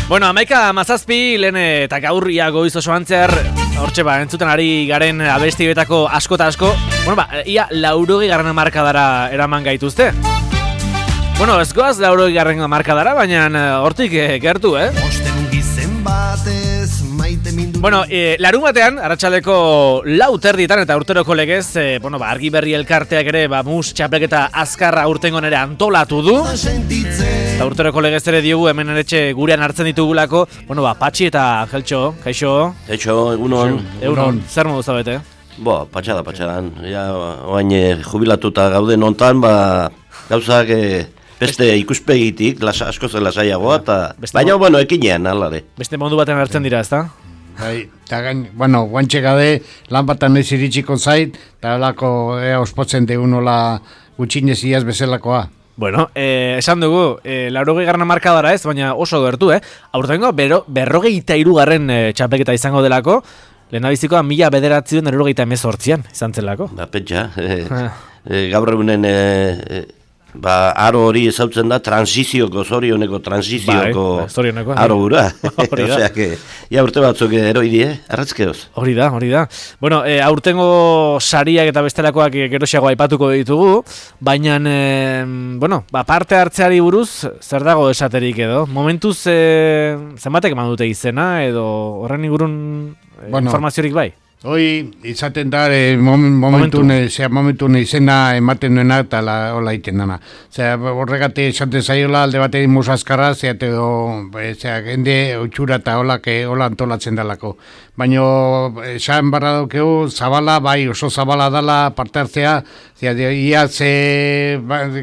Bueno, 11:17 lehen eta gaurria goiz oso antzer, hortxe entzuten ari garen abesti betako asko eta asko. Bueno, ia 80. markadara eraman gaituzte. Bueno, ez goaz 80. markadara, baina hortik gertu, Bueno, larun batean, arratsaldeko 4:00 eta urteroko legez, argi berri elkarteak ere, mus txapelketa azkarra urtengon ere antolatu du. Eta urteroko legez ere diogu hemen eretxe gurean hartzen ditugulako, Patxi eta Angeltxo, kaixo? Kaixo, egunon. Egunon, zer modu zabete? Patxadan. Ja, oain jubilatuta gauden ontan, gauzak beste ikuspegitik, asko zen lasaiagoa, baina, ekinean, alare. Beste modu batean hartzen dira, ezta? Bai, eta guantxe gade, lan batan noiz iritsiko zait, eta holako ospotzen deunola gutxinez iaz bezalakoa. Bueno, esan dugu, 80. markadara ez, baina oso gertu, Aurtengo, 53. txapelketa izango delako, lehendabizikoa 1998an izan zelako. Pentsa, gaur egunen aro hori ezautzen da zorioneko transizioko aro gura. Osea, ja urte batzuk eroi arratzkeoz. Hori da. Bueno, aurtengo sariak eta bestelakoak geroxeago aipatuko ditugu, baina, parte hartzeari buruz, zer dago esaterik edo? Momentuz, zenbatek eman dute izena, edo horren ingurun informaziorik bai? Hoi, izaten da, momentun izena ematen duena eta hola iten dana. Horregate esaten zaiola alde bateri musazkarra, jende utxura eta hola antolatzen dalako. Baina, esan barra daukeu, zabala, oso zabala dala parte hartzea, iaz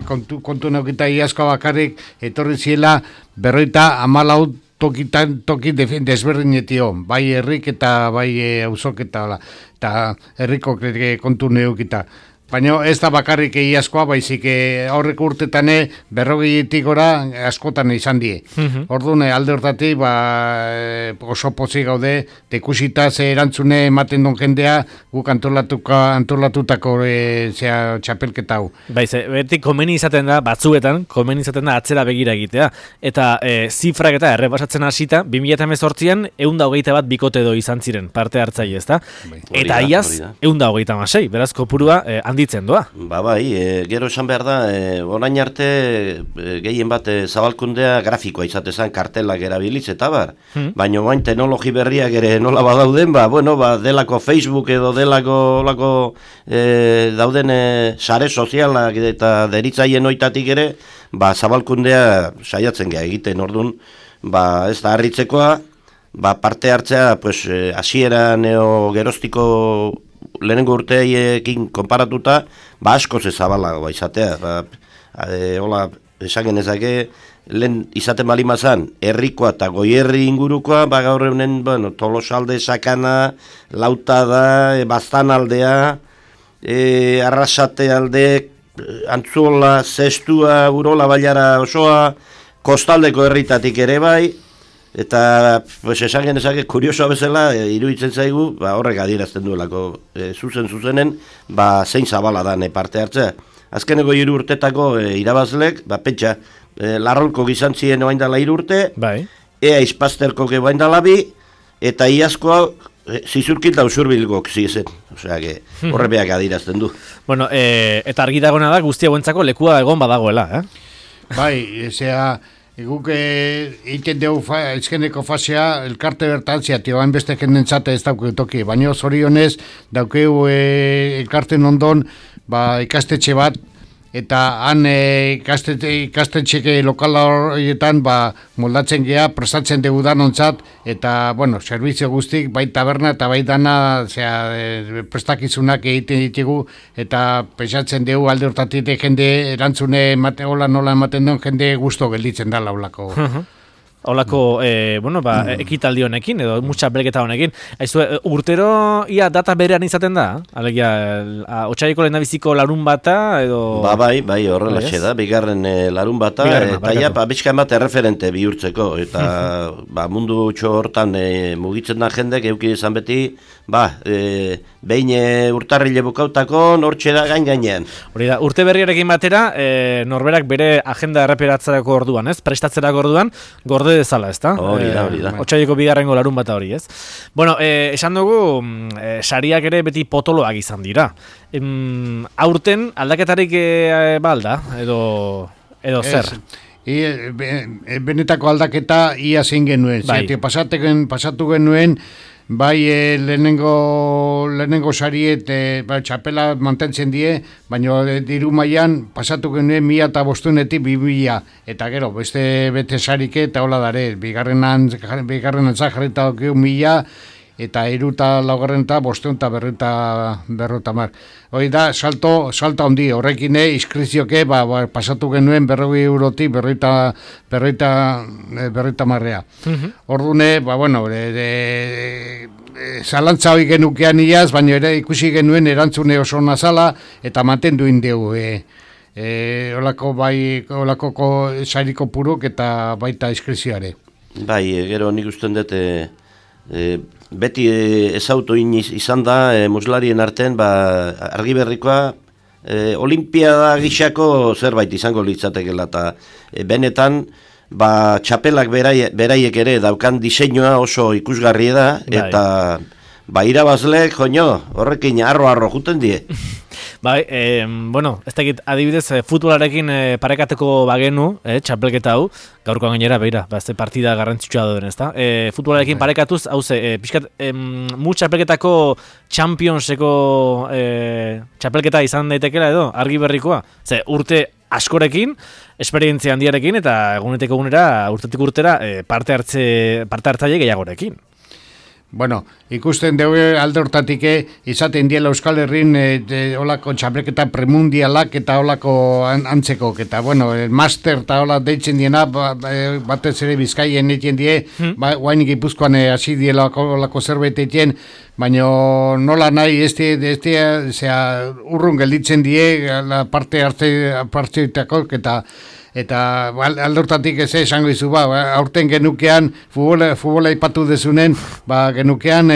kontu neukita iazko bakarrik, etorri ziela, 54 toki desberdinetio, bai herrik eta bai auzok eta herriko kontu neukita. Baina ez da bakarrik iazkoa, baizik aurreko urtetane 40 gora askotan izan die. Orduan, alde hortatik oso pozik gaude, tekusita ze erantzune ematen don jendea guk antolatutako txapelketa hau. Beti komeni izaten da, batzuetan, atzera begira egitea. Eta zifrak eta errepasatzen hasita, 2018an 121 bikote edo izan ziren parte hartzaile, ezta? Eta iaz, 126, beraz kopurua handitzen doa. Gero esan behar da, orain arte gehien bat zabalkundea grafikoa izatezan kartelak erabiliz eta baina orain teknologi berriak ere nola badauden, delako Facebook edo delako dauden sare sozialak eta deritzaien oitatik ere, zabalkundea saiatzen geha egiten, orduan, ez da harritzekoa, parte hartzea, hasieran geroztiko lehenengo urteekin konparatuta, asko zabalagoa izatea. Hola, esan genezake, lehen izaten balimazan, herrikoa eta goierri ingurukoa, gaur egunen, Tolosalde, Sakana, Lautada, Baztanaldea, Arrasate alde, Antzuola, Zestua, Urola, Bailara osoa, kostaldeko herritatik ere bai, eta esan genezake, kuriosoa bezala, iruditzen zaigu, horrek adierazten duelako zuzenen, zein zabala da parte hartzea. Azkeneko 3 urtetako irabazlek, pentsa, Larrolko gizantzien oain dala 3 urte, Ea Izpazterko oain dala 2, eta iazkoa zizurkil da usurbilgok zizen. Osea, horrebeak adierazten du. Bueno, eta argi dagona da guztia guentzako lekua egon badagoela, guk egiten dugu ezkeneko fasea, elkarte bertantzia, tioan beste jendentzate ez daukeu toki, baina zorionez daukeu elkarten ondon ikastetxe bat, eta han ikastetxeke lokala horietan moldatzen geha, prestatzen dugu danontzat, eta, servizio guztik, bai taberna eta bai dana prestakizunak egiten ditugu, eta pesatzen dugu alde hortatik jende erantzune nola ematen duen jende gusto gelditzen da laulako. Olako, ekitaldi honekin, edo mutxa belketa honekin. Urtero, ia data berean izaten da? Alegia, otsaiko lehendabiziko larun bata, edo... Bai, horrelaxe da, bigarren larun bata, eta bizkan bat erreferente bihurtzeko, eta mundu txo hortan mugitzen da jendek, euki izan beti, behin urtarrile bukautakon, hortxe da gainean. Hori da, urte berriarekin batera, norberak bere agenda erreperatzerako orduan, ez? Prestatzerako orduan, gorde dezala, ez da? Hori da. Otsaileko bigarrengo larun bata hori, ez? Bueno, esan dugu, sariak ere beti potoloak izan dira. Aurten, aldaketarik balda, edo zer? Benetako aldaketa ia zein genuen. Bai. Pasatu genuen, bai lehenengo sariet txapela mantentzen die, baina diru mailan pasatu genuen 1.500-etik 2.000, eta gero, beste sarike eta hola dare, bigarrenan jarrita dugu 1.000, eta iruta laugarrenta, bosteun eta berrota mar. Hoi da, salto handi, horrekin inskripzioke, pasatu genuen 40 eurotik berroita marrea. Ordune, zalantza hori genukean iaz, baina ere ikusi genuen erantzune oso nazala, eta mantendu indegu. Olako sariko puruk eta baita inskripzioare. Bai, gero nik usten dut, beti ezautu izan da muslarien arten, Argiberrikoa olimpiada gixako zerbait izango litzatekela, eta benetan txapelak beraiek ere daukan diseinua oso ikusgarri da, eta irabazleek, horrekin arro juten die. Bai, ez dakit adibidez futbolarekin parekateko bagenu, txapelketa hau, gaurkoan gainera, ez partida garrantzitsua duen, ez da? Futbolarekin parekatuz, pixkat, txapelketako Championseko txapelketa izan daitekela edo, Argiberrikoa. Urte askorekin, esperientzia handiarekin, eta egunetik egunera, urtetik urtera, parte hartzaile gehiagorekin. Bueno, ikusten dugu alde hortatik izaten diela Euskal Herrin olako txapelketa premundialak eta olako antzeko, eta master eta hola deitzen diena, batez ere Bizkaien egiten die, guain Gipuzkoan hasi diela olako zerbait egiten, baina nola nahi, urrun gelditzen die parte hartzeitako, eta aldortatik esango izu, aurten genukean, futbola ipatu dezunen, genukean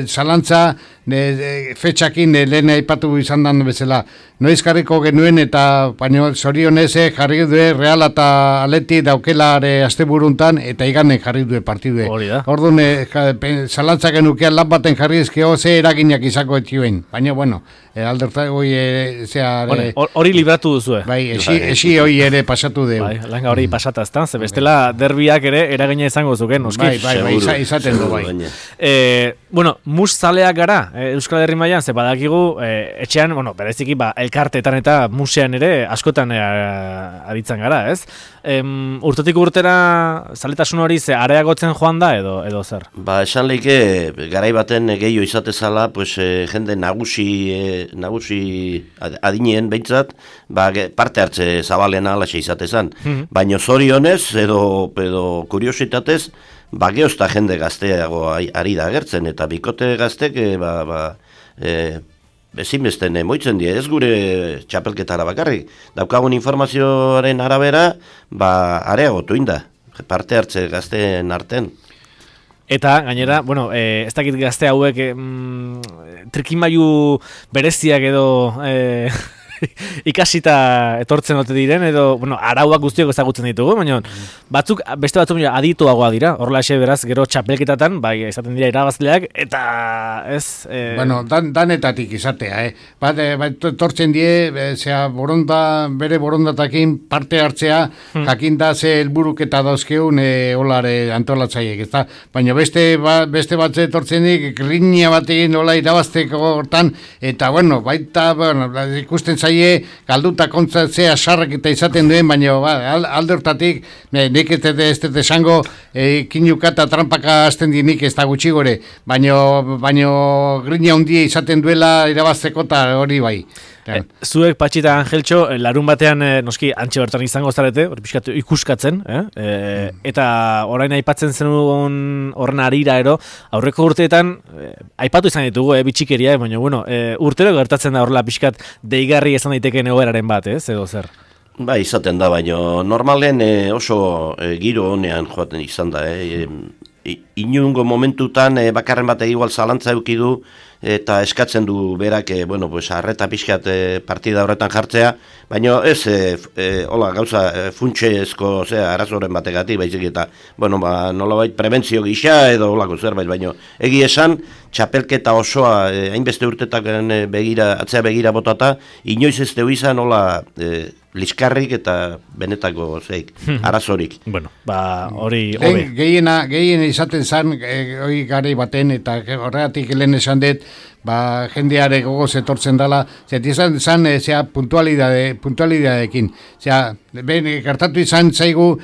zalantza, fetxakin lehen aipatu izan dan bezala. Noiz jarriko genuen eta baino zorionez jarri du Real eta Atleti daukela asteburuntan eta iganen jarri du partidue. Orduan zalantza genukean lan baten jarri ezkeo ze eraginak izako etxioen. Baina alderta hori libratu duzu. Bai, esi hori ere pasatu dugu. Bai, langa hori pasata ezta, ze bestela derbiak ere eragina izango zuken, noski. Bai, izaten du bai. Mus zaleak gara, Euskal Herri mailan, ze badakigu etxean, bereziki elkarteetan eta musean ere askotan aritzen gara, ez? Urtetik urtera zaletasun hori areagotzen joan da edo zer? Esan leike, garai baten gehiago izatezala, jende nagusi adineen behintzat, parte hartze zabalena alaxe izatezan. Baina zorionez edo kuriositatez, geozta jende gazteago ari da agertzen, eta bikote gaztek ezinbesten moitzen die, ez gure txapelketara bakarrik. Daukagun informazioaren arabera, areagotu inda, parte hartze gazteen arten. Eta, gainera, ez dakit gazte hauek trikimailu bereziak edo ikasita etortzen ote diren, edo, arauak guztiok ezagutzen ditugu, baina beste batzuk adituagoa dira, horrelaxe beraz, gero txapelketatan, izaten dira irabazleak, eta ez... Danetatik izatea, etortzen die, bere borondatakin parte hartzea, jakinda ze helburuk eta dauzkeun olare antolatzaiek, ez da? Baina beste batze etortzen dik, grinia batekin hola irabazteko hortan, eta, baita, ikusten zaila, galduta kontzatzea sarrak eta izaten duen, baina alde hortatik nik ez dut esango kinuka eta trampaka hasten di nik ez da gutxi gore, baina grina hundia izaten duela irabazteko eta hori bai. Zuek Patxita Angeltxo, larun batean noski antxe bertan izango zarete, ikuskatzen, eta orain aipatzen zenuen horren arira aurreko urteetan aipatu izan ditugu, bitxikeria, baina urtero gertatzen da horrela pixkat deigarri izan daiteke egoeraren bat, edo zer? Izaten da, baina normalen oso giro honean joaten izan da, inungo momentutan bakarren bat igual zalantza eukidu eta eskatzen du berak, bueno, pues arreta pixkat partida horretan jartzea, baina ez, hola, gauza funtsezko, arazoren bategatik, baizik eta, bueno, nolabait prebentzio gisa edo holako zerbait, baina egi esan, txapelketa osoa, hainbeste urtetak atzea begira botata, inoiz ez deu izan, hola, liskarrik eta benetako arazorik. Bueno, hori hobe. Gehiena izaten zan, hori gari baten, eta horregatik lehen esan dut, jendeare gogoz etortzen dela, izan zan, puntualidadekin. Gertatu izan zaigu,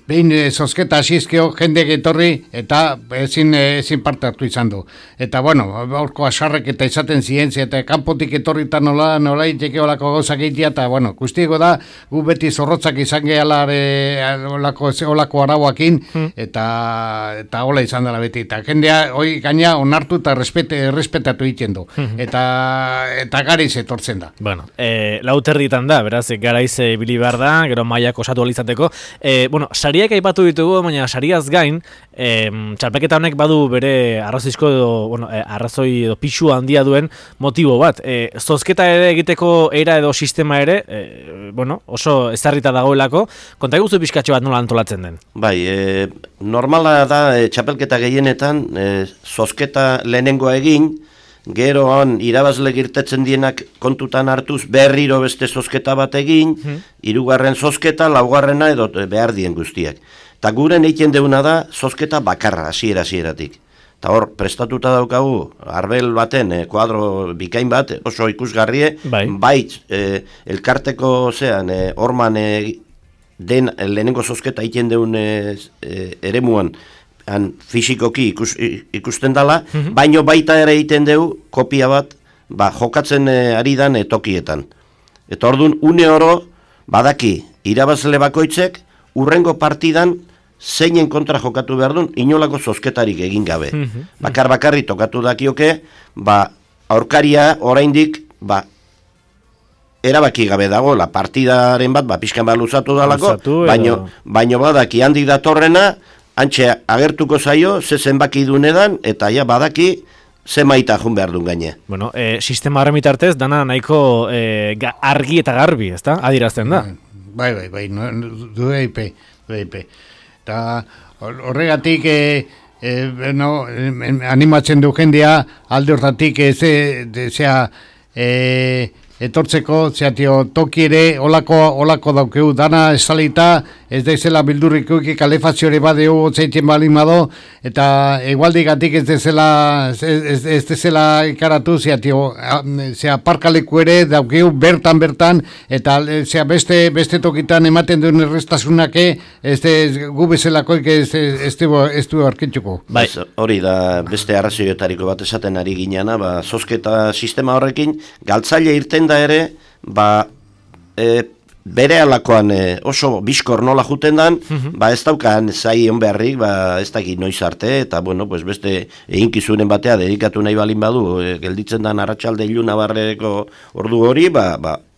behin zozketa asizkeo jendek etorri eta ezin parte hartu izan du. Eta bueno, aurko asarrek eta izaten zientzia eta kanpotik etorri eta nola iteke olako gauzak egitea eta bueno, guztiego da gu beti zorrotzak izan gehala olako arauakin eta hola izan dela beti. Eta jendea hoi gaina onartu eta respetatu egiten du. Eta garaiz etortzen da. Bueno, lauterritan da, beraz, garaiz bili behar da, gero mailak osatu alizateko. Bueno, sariak aipatu ditugu, baina sariaz gain, txalpeketa honek badu bere arrazoizko arrazoi edo pixu handia duen motibo bat. Zozketa ere egiteko era edo sistema ere, oso ezarrita dagoelako, konta eguzu pixkatxo bat nola antolatzen den? Bai, normala da txapelketa gehienetan, zozketa lehenengoa egin, geroan irabazle girtetzen dienak kontutan hartuz berriro beste zozketa bat egin, hirugarren zozketa, laugarrena edo behar dien guztiak. Eta guren egiten deuna da zozketa bakarra, hasieratik. Eta hor, prestatuta daukagu, arbel baten, kuadro bikain bat, oso ikusgarrie, bai elkarteko horman den lehenengo zozketa egiten deun eremuan, fisikoki ikusten dela, baino baita ere egiten dugu kopia bat jokatzen ari dan tokietan. Eta orduan, une oro, badaki, irabazle bakoitzek, urrengo partidan zeinen kontra jokatu behar duen, inolako zozketarik egin gabe. Bakarri tokatu dakioke, aurkaria oraindik, erabaki gabe dago, partidaren bat, pixkan luzatu dalako, baino badaki handik datorrena, antxe agertuko zaio, zenbaki dunedan, eta badaki zemaita jun behar duen gaine. Bueno, sistema horren bitartez, dana nahiko argi eta garbi, ezta? Adirazten da. Bai, du eipe. Eta horregatik, animatzen du jendea, alde hortatik, etortzeko, toki ere olako daukeu, dana esalita, ez daizela bildurrikuki kalefaziore badeu otzaiten balin bado, eta egualdigatik ez dezela ikaratu, parkaleku ere daukeu bertan, eta beste tokitan ematen duen errestazunake, gu bezalakoik ez du arkitzuko. Hori da beste arrazioetariko bat esaten ari gineana, zozketa sistema horrekin, galtzaile irten da ere, bere alakoan oso biskor nola juten dan, ez daukan zai on beharrik, ez dakit noiz arte, eta beste eginkizunen batea dedikatu nahi balin badu, gelditzen dan arratsalde iluna barreko ordu hori,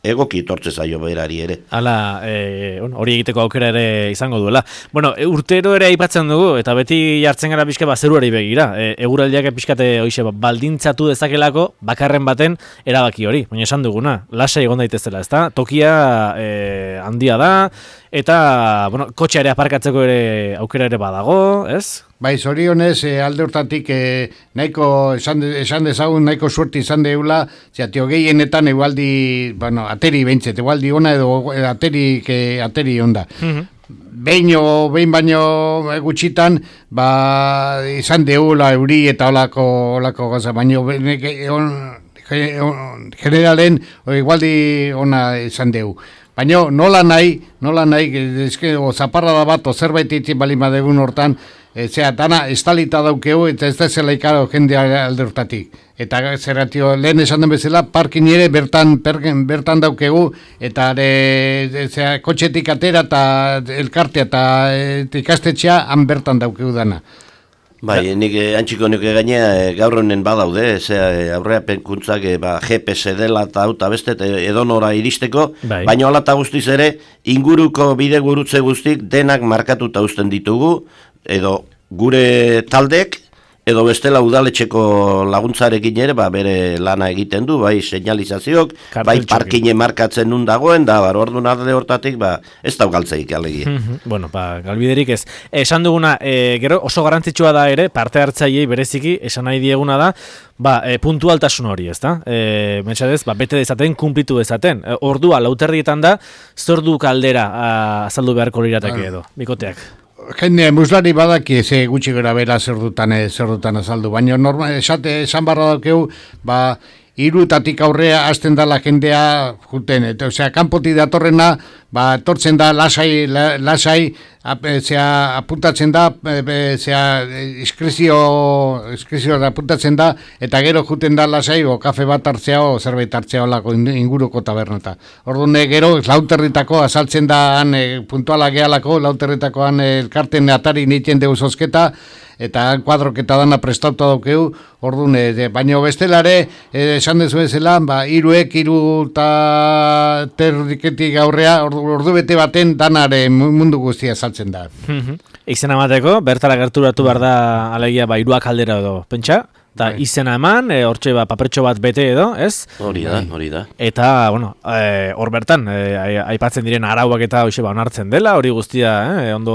egoki tortze zaio berari ere. Hala, hori egiteko aukera ere izango duela. Bueno, urtero ere aipatzen dugu, eta beti jartzen gara pixka zeruari begira. Eguraldiak pixkate hoize baldintzatu dezakelako bakarren baten erabaki hori. Baina esan duguna, lasai egon daitezela, ezta? Tokia handia da, eta kotxea ere aparkatzeko ere aukera ere badago, ez? Bai, zorionez, alde hortatik nahiko, esan dezagun, nahiko suerte izan deula, gehienetan egualdi, ateri behintzet, egualdi ona edo ateri onda. Behin baino gutxitan, izan deula euri eta olako gaza, baino generalen egualdi ona izan deu. Baina nola nahi, zaparra da bat, zerbait itzin balima degun hortan, dana estalita daukeu eta ez da zela ikaro jendea alde hortatik. Eta zerratio, lehen esan den bezala, parkin ere bertan daukegu, eta kotxetik atera eta elkartea eta ikastetxea han bertan daukegu dana. Bai, nik antxiko nuke gainea gaur honen badaude, aurrea penkuntzak GPS dela eta beste edonora iristeko, baina ala eta guztiz ere, inguruko bide gurutze guztik denak markatuta uzten ditugu, edo gure taldek, edo bestela udaletxeko laguntzarekin ere, bere lana egiten du, bai señalizazioak, bai parkine markatzen nun dagoen, da, orduan alde hortatik, ez daugaltzeik alegi. Bueno, galbiderik ez. Esan duguna, gero oso garrantzitsua da ere, parte hartzaileei bereziki, esan nahi dieguna da, puntualtasun hori, ez da? Mentxadez, bete dezaten, kumplitu dezaten. Ordua, lauterrietan da, zordu kaldera azaldu beharko lirateke edo, bikoteak. Jende muslari badaki ze gutxi gara bera zer dutan azaldu, baina esan barra daukeu, irutatik aurrea hasten dala jendea juten, osea, kanpotik datorrena, etortzen da lasai, apuntatzen da, iskrezio apuntatzen da, eta gero juten da lasai, o kafe bat hartzea, o zerbait hartzea olako inguruko tabernata. Orduan, gero, lauterritako, azaltzen da, puntuala gehalako, lauterritakoan elkarten atari niten dugu zozketa, eta kuadroketa dana prestauta daukeu, orduan, baina bestelare, esan dezu ezela, hiru terdiketik aurrea, ordu bete baten danare mundu guztia saltzen da. Izena emateko, bertara gerturatu behar da alegia hiruak aldera edo, pentsa? Eta izena eman, hortxe papertxo bat bete edo, ez? Hori da. Eta, hor bertan, aipatzen diren arauak eta hoxe onartzen dela, hori guztia ondo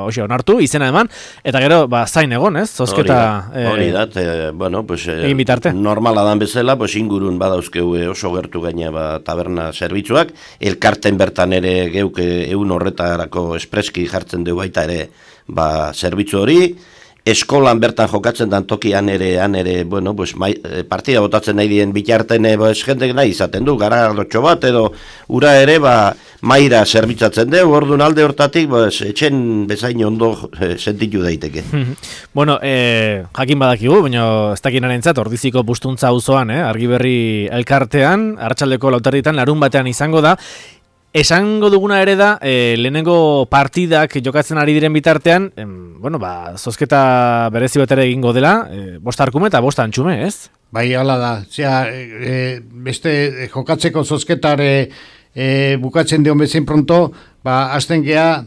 hoxe onartu, izena eman, eta gero, zain egon, ez? Zozketa... Hori da, egin bitarte. Normala dan bezala, ingurun badauzkeu oso gertu gaina taberna zerbitzuak, elkarten bertan ere geuk egun horretarako espreski jartzen dugu baita ere zerbitzu hori, eskolan bertan jokatzen dan tokian ere, partida botatzen nahi dien bitarten jendek nahi izaten du, garagardotxo bat, edo ura ere, maira zerbitzatzen dugu, orduan alde hortatik, etxen bezain ondo sentitu daiteke. Jakin badakigu, baina ez dakinaren zat, Ordiziko Bustuntza auzoan, Argiberri elkartean, Arratsaldeko lauterditan, larun batean izango da. Esango duguna ere da, lehenengo partidak jokatzen ari diren bitartean, zozketa berezi bat ere egingo dela, 5 arkume eta 5 antxume, ez? Bai, hala da. Beste jokatzeko zozketare bukatzen dion bezain pronto, hasten geha,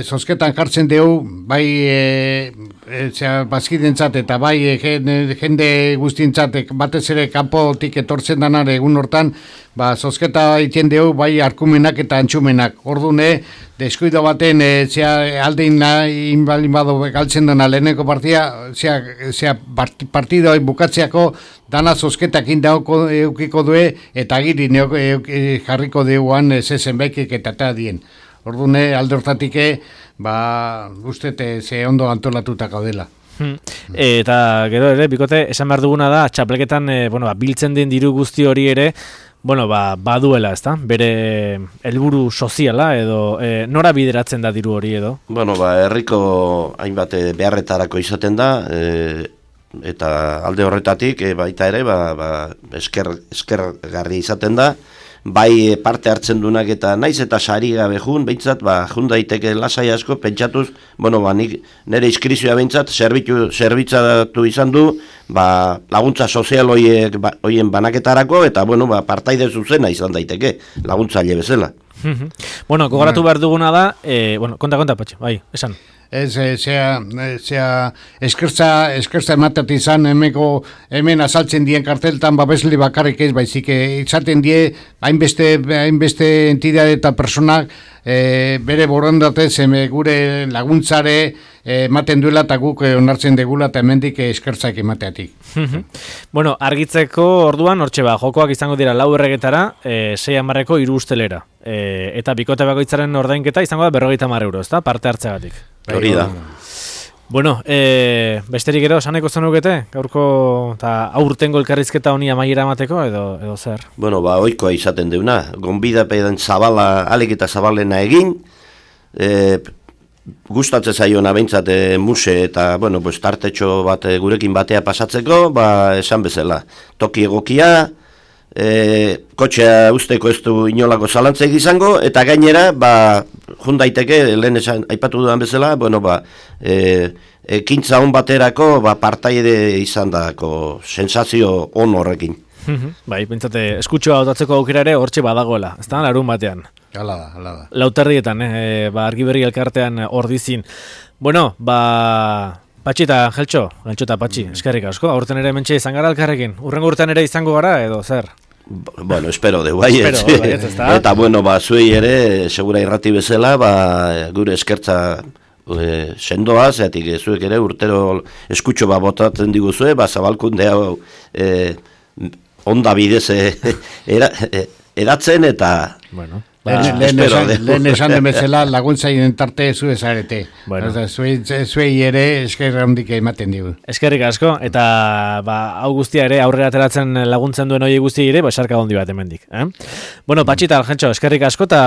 zozketan jartzen dugu, bazkidentzat eta jende guztientzat, batez ere kanpotik etortzen danare egun hortan, zozketa egiten dugu, arkumenak eta antxumenak. Ordune, deskuido baten, aldein inbalin bado galtzen dena leheneko partia, partidoi bukatzeako, dana zozketak indauko eukiko due, eta giri jarriko deuan zezen baikik eta dien. Ordune, alde hortatik, ustete ze ondo antolatutak gaudela. Eta gero ere, bikote, esan behar duguna da, txapleketan biltzen den diru guzti hori ere, baduela, ezta? Bere helburu soziala edo nora bideratzen da diru hori edo? Herriko hainbat beharretarako izaten da, eta alde horretatik baita ere, eskergarri izaten da, bai parte hartzen dunak eta naiz eta sari gabe jun, behintzat, jun daiteke lasai asko, pentsatuz, nik nire iskrizioa behintzat, zerbitzatu izan du, laguntza sozial hoien banaketarako, eta, partaide zuzena izan daiteke, laguntzaile bezala. Gogoratu behar duguna da, konta, Patxo, bai, esan. Eskertza ematat izan hemen azaltzen dien karteltan babesle bakarrik ez, baizik izaten die hainbeste entidade eta personak bere borondatez gure laguntzare ematen duela eta guk onartzen degula eta hemendik eskertzak emateatik. Argitzeko orduan, jokoak izango dira 4 erregetara, 6 amarreko 3 ustelera. Eta bikote bakoitzaren ordainketa izango da 50 euro, ezta? Parte hartzeagatik. Hori da. Besterik gero, saneko zenukete? Gaurko aurtengo elkarrizketa honi amaiera emateko edo zer? Ohikoa izaten deuna. Gonbidapean zabala, alik eta zabalena egin, gustatzen zaiona behintzat muse eta, tartetxo bat gurekin batea pasatzeko, esan bezala. Toki egokia, kotxea usteko ez du inolako zalantzeik izango, eta gainera, jun daiteke, lehen esan aipatu dudan bezala, ekintza hon baterako, partaide izan dako sensazio on horrekin. Pentsate, eskutxoa otatzeko aukera ere hortxe badagoela, ez da, larun batean. Hala da. Lauterrietan, Argi Berri elkartean ordizin. Bueno, Patxi eta Geltxo eta Patxi, eskerrik asko. Aurten ere mentxe izan gara elkarrekin. Urrengo urtean ere izango gara, edo zer? Bueno, espero de baietz. Eta bueno, zuei ere, segura irrati bezala, gure eskertza sendoa, zeatik zuek ere urtero eskutxo botatzen diguzue, zabalkundea onda bidez eratzen eta... Bueno. Lehen esan demezela laguntzaien tarte zu ezarete. Zuei ere eskerra handik ematen digu. Eskerrik asko, eta hau guztia ere aurrera ateratzen laguntzen duen hori guzti ere, esarka hondi bat hemendik. Bueno, Patxi eta Argentxo, eskerrik asko eta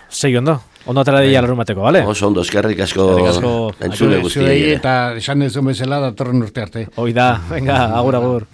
segi ondo. Ondo atera dira larumateko, bale? Oso ondo, eskerrik asko entzule guzti. Eta esan dezun bezala datorren urte arte. Hoi da, venga, agur.